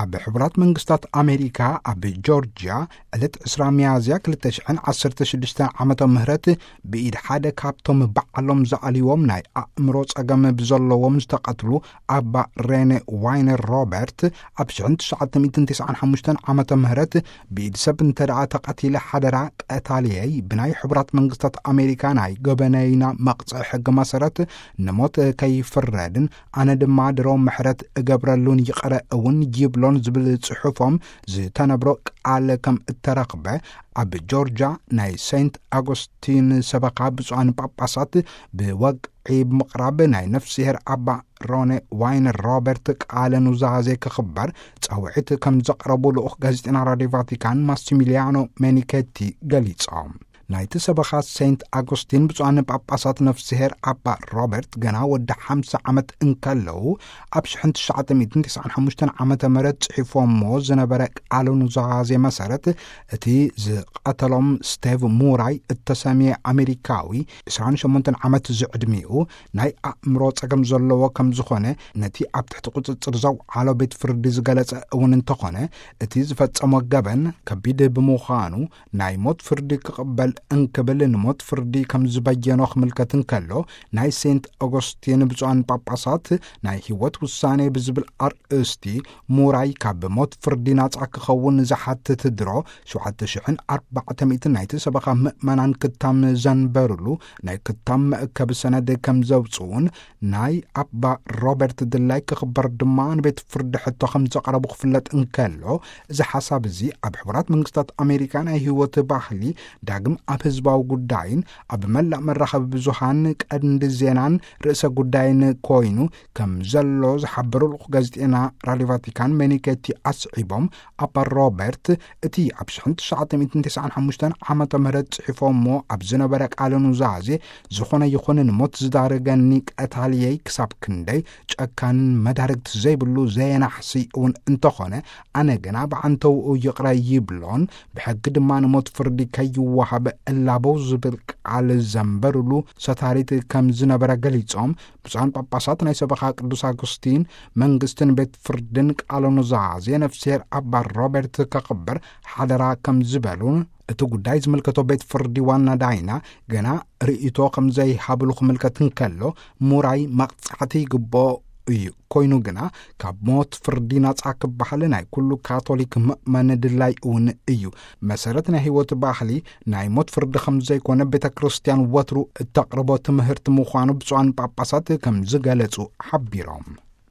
ኣብ ሕቡራት መንግስታት ኣሜሪካ ኣብ ጆርጅያ ዕለት ዕስራ ሚያዝያ ክልተ ሽሕን ዓሰርተ ሽዱሽተን ዓመተ ምህረት ብኢድ ሓደ ካብቶም ባዕሎም ዝኣልዎም ናይ ኣእምሮ ጸገም ብዘለዎም ዝተቐትሉ ኣባ ሬነ ዋይነር ሮበርት ኣብ ሽሕን ትሽዓተ ሚእትን ተስዓን ሓሙሽተን ዓመተ ምህረት ብኢድ ሰብ እንተ ደኣ ተቐቲለ ሓደራ ቀታልየይ ብናይ ሕቡራት መንግስታት ኣሜሪካ ናይ ገበነይና መቕጽዒ ሕጊ መሰረት ንሞት ከይፍረድን ኣነ ድማ ድሮ ምሕረት እገብረሉን ይቕረ እውን ይብሎን ዝብል ጽሑፎም ዝተነብሮ ቃል ከም እተረኽበ ኣብ ጆርጃ ናይ ሴንት ኣጎስቲን ሰበኻ ብፁዓን ጳጳሳት ብወግዒ ብምቕራብ ናይ ነፍስሄር ኣባ ሮኔ ዋይነር ሮበርት ቃለ ኑዛዜ ክኽበር ጻውዒት ከም ዘቕረቡ ልኡኽ ጋዜጠና ራድዮ ቫቲካን ማሲሚሊያኖ ሜኒኬቲ ገሊጾም። ናይቲ ሰበኻ ሴንት ኣጎስቲን ብፁዓን ጳጳሳት ነፍስሄር ኣባ ሮበርት ገና ወዲ ሓምሳ ዓመት እንከለዉ ኣብ ሽሕን ትሽዓተ ሚእትን ተስዓን ሓሙሽተን ዓመተ ምህረት ጽሒፎሞ ዝነበረ ቃለ ኑዛዜ መሰረት እቲ ዝቐተሎም ስቴቭ ሙራይ እተሰምየ ኣሜሪካዊ ዕስራን ሸሞንተን ዓመት ዝዕድሚኡ ናይ ኣእምሮ ጸገም ዘለዎ ከም ዝኾነ ነቲ ኣብ ትሕቲ ቁጽጽር ዘውዓሎ ቤት ፍርዲ ዝገለጸ እውን እንተኾነ እቲ ዝፈጸሞ ገበን ከቢድ ብምዃኑ ናይ ሞት ፍርዲ ክቕበል እንክብል ንሞት ፍርዲ ከም ዝበየኖ ክምልከት እንከሎ ናይ ሴንት ኦጎስቲን ብፁዓን ጳጳሳት ናይ ህይወት ውሳኔ ብዝብል ኣርእስቲ ሙራይ ካብ ሞት ፍርዲ ናጻ ክኸውን ዝሓትት ድሮ ሸውዓተ ሽሕን ኣርባዕተ ሚእትን ናይቲ ሰበኻ ምእመናን ክታም ዘንበሩሉ ናይ ክታም መእከቢ ሰነድ ከም ዘውፅኡን ናይ ኣባ ሮበርት ድላይ ክኽበር ድማ ንቤት ፍርዲ ሕቶ ከም ዘቕረቡ ክፍለጥ እንከሎ እዚ ሓሳብ እዚ ኣብ ሕቡራት መንግስታት ኣሜሪካ ናይ ህይወት ባህሊ ዳግም ኣብ ህዝባዊ ጉዳይን ኣብ መላእ መራኸቢ ብዙሃን ቀንዲ ዜናን ርእሰ ጉዳይን ኮይኑ ከም ዘሎ ዝሓበሩ ልኡኽ ጋዜጠና ራድዮ ቫቲካን ሜኒኬቲ ኣስዒቦም ኣባ ሮበርት እቲ ኣብ ሽሕን ትሽዓተ ሚእትን ተስዓን ሓሙሽተን ዓመተ ምህረት ጽሒፎሞ ኣብ ዝነበረ ቃለ ኑዛዜ ዝኾነ ይኹን ንሞት ዝዳረገኒ ቀታልየይ ክሳብ ክንደይ ጨካንን መዳርግቲ ዘይብሉ ዘየናሕሲ እውን እንተኾነ ኣነ ግና ብዓንተውኡ ይቕረ ይብሎን ብሕጊ ድማ ንሞት ፍርዲ ከይወሃብ እላበው ዝብል ቃል ዘንበሩሉ ሰታሪት ከም ዝነበረ ገሊጾም ብፁዓን ጳጳሳት ናይ ሰበኻ ቅዱስ ኣጉስቲን መንግስትን ቤት ፍርድን ቃለ ኑዛዜ ነፍስሄር ኣባ ሮበርት ከኽብር ሓደራ ከም ዝበሉን እቲ ጉዳይ ዝምልከቶ ቤት ፍርዲ ዋና ዳይና ገና ርእይቶ ከም ዘይሃብሉ ክምልከት እንከሎ ሙራይ መቕጻዕቲ ይግብኦ እዩ ኮይኑ ግና ካብ ሞት ፍርዲ ናጻ ክበሃል ናይ ኩሉ ካቶሊክ ምእመን ድላይ እውን እዩ መሰረት ናይ ህይወት ባህሊ ናይ ሞት ፍርዲ ከም ዘይኮነ ቤተ ክርስቲያን ወትሩ እተቕርቦ ትምህርቲ ምዃኑ ብፁዓን ጳጳሳት ከም ዝገለጹ ሓቢሮም